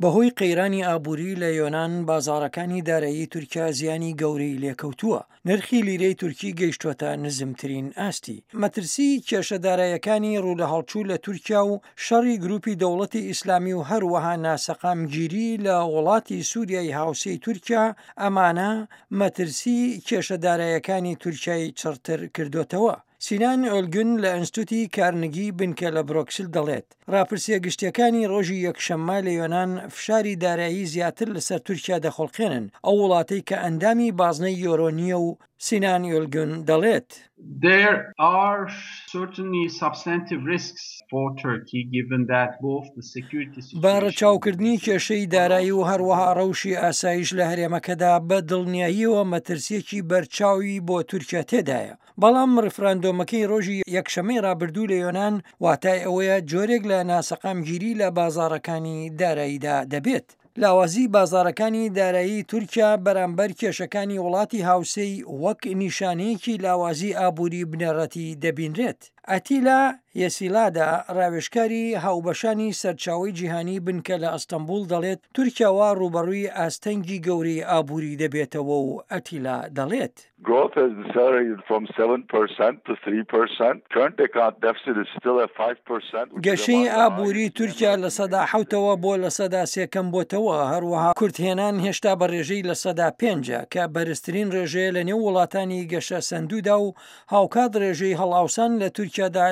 بەهۆی قەیرانی ئابووری لە یۆنان، بازاڕەکانی دارایی تورکیا زیانی گەورەی لێکەوتووە، نرخی لیرەی تورکی گەیشتووەتە نزمترین ئاستی. مەترسیی کێشە دارایەکانی ڕوولەهەڵچوو لە تورکیا و شەڕی گرووپی دەوڵەتی ئیسلامی و هەروەها ناسەقامگیری لە وڵاتی سووریای هاوسێی تورکیا، ئەمانە مەترسیی کێشە دارایەکانی تورکیای چڕتر کردۆتەوە. سینان ئۆلگون لە ئەنستوتی کارنگی بنکە لە برۆکسل دەڵێت، ڕاپرسییە گشتییەکانی ڕۆژی یەکشەممە لە یۆنان فشاری دارایی زیاتر لەسەر تورکیا دەخوڵقێنن، ئەو وڵاتەی کە ئەندامی بازنەی یۆرۆ نییە و سینان ئۆلگون دەڵێت. There are certainly substantive risks for Turkey given that both the security situation بە ڕەچاوکردنی کێشەی دارایی و هەروەها ڕەوشی ئاسایش لە هەرێمەکەدا بە دڵنیاییەوە مەترسییەکی بەرچاوی بۆ تورکیا تێدایە. بەڵام ڕیفراندۆمەکەی ڕۆژی یەکشەممەی ڕابردوو لە یۆنان واتای ئەوەیە جۆرێک لە ناسەقامگیری لە بازاڕەکانی داراییدا دەبێت. لاوازی بازاڕەکانی دارایی تورکیا بەرامبەر کێشەکانی وڵاتی هاوسێی وەک نیشانەیەکی لاوازی ئابووری بنەڕەتی دەبینرێت. ئەتیلا یەسیلادا، ڕاوێژکاری هاوبەشانی سەرچاوەی جیهانی بنکە لە ئەستەنبوڵ دەڵێت، تورکیا وا ڕووبەڕووی ئاستەنگی گەورەی ئابووری دەبێتەوە و ئەتیلا دەڵێت. Growth has decelerated from 7% to 3%. Current account deficit is still at 5%, which is گەشەی ئابووری تورکیا لە حەوتەوە بۆ 3% کەمبۆتەوە، هەروەها کورتهێنان هێشتا بە ڕێژەی 5% کە بەرزترین ڕێژەیە لە نێو وڵاتانی گەشەسەندوودا و هاوکات ڕێژەی هەڵئاوسان لە تورکیادا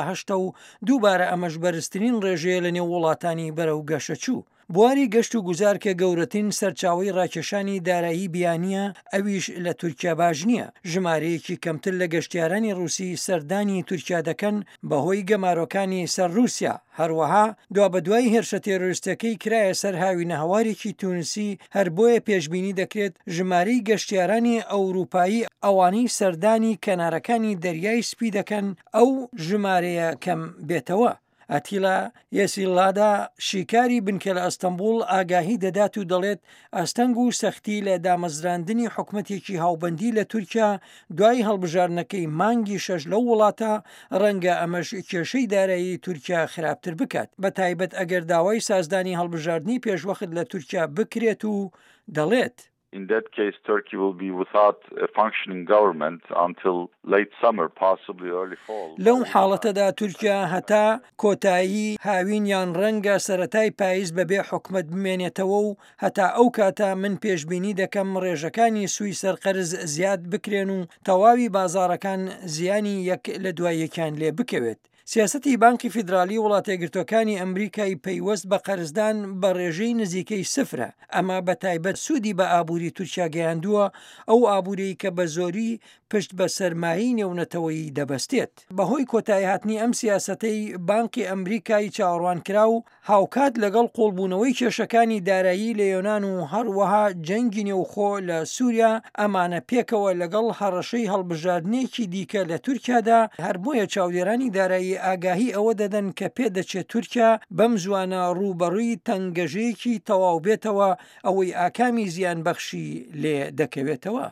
8% و دووبارە ئەمەش بەرزترین ڕێژەیە لە نێو وڵاتانی بەرەو گەشەچوو. بواری گەشت و گوزار کە گەورەترین سەرچاوەی ڕاکێشانی دارایی بیانییە، ئەویش لە تورکیا باش نییە، ژمارەیەکی کەمتر لە گەشتیارانی ڕووسی سەردانی تورکیا دەکەن بەهۆی گەمارۆکانی سەر ڕووسیا، هەروەها دوابەدوای هێرشە تێرۆریستەکەی کرایە سەر هاوینەهەوارێکی تونسی، هەر بۆیە پێشبینی دەکرێت ژمارەی گەشتیارانی ئەوروپایی ئەوانەی سەردانی کەنارەکانی دەریای سپی دەکەن ئەو ژمارەیە کەم بێتەوە. ئەتیلا یەسیلادا شیکاری بنکە لە ئەستەنبوڵ ئاگاهی دەدات و دەڵێت ئاستەنگ و سەختی لە دامەزراندنی حکومەتێکی هاوبەندی لە تورکیا دوای هەڵبژاردنەکەی مانگی شەش لەو وڵاتە ڕەنگە ئەمەش کێشەی دارایی تورکیا خراپتر بکات بە تایبەت ئەگەر داوای سازدانی هەڵبژاردنی پێشوەخت لە تورکیا بکرێت و دەڵێت In that case, Turkey will be without a functioning government until late summer, possibly early fall. لەو حاڵەتەدا تورکیا هەتا کۆتایی هاوین یان ڕەنگە سەرەتای پایز بەبێ حکومەت بمێنێتەوە و هەتا ئەو کاتە من پێشبینی دەکەم ڕێژەکانی سووی سەر قەرز زیاد بکرێن و تەواوی بازاڕەکان زیانی یەک لە دوای یەکیان لێ بکەوێت. سیاسەتی بانقی فیدرالی وڵاتەیەکگرتووەکانی ئەمریکای پەیوەست بە قەرزدان بە ڕێژەی نزیکەی سفرە، ئەمە بە تایبەت سوودی بە ئابووری تورکیا گەیاندووە، ئەو ئابووریەی کە بە زۆری پشت بە سەرمایەی نێونەتەوەیی دەبەستێت. بەهۆی کۆتاییهاتنی ئەم سیاسەتەی بانقی ئەمریکای چاوەڕوانکراو، هاوکات لەگەڵ قوڵبوونەوەی کێشەکانی دارایی لە یۆنان و هەروەها جەنگی نێوخۆ لە سووریا، ئەمانە پێکەوە لەگەڵ هەڕەشەی هەڵبژاردنێکی دیکە لە تورکیادا، هەر بۆیە چاودێرانی دارایی ئاگاهی ئەوە دەدەن کە پێدەچێت تورکیا بەم زووانە ڕووبەڕووی تەنگەژەیەکی تەواو بێتەوە، ئەوەی ئاکامی زیانبەخشی لێ دەکەوێتەوە.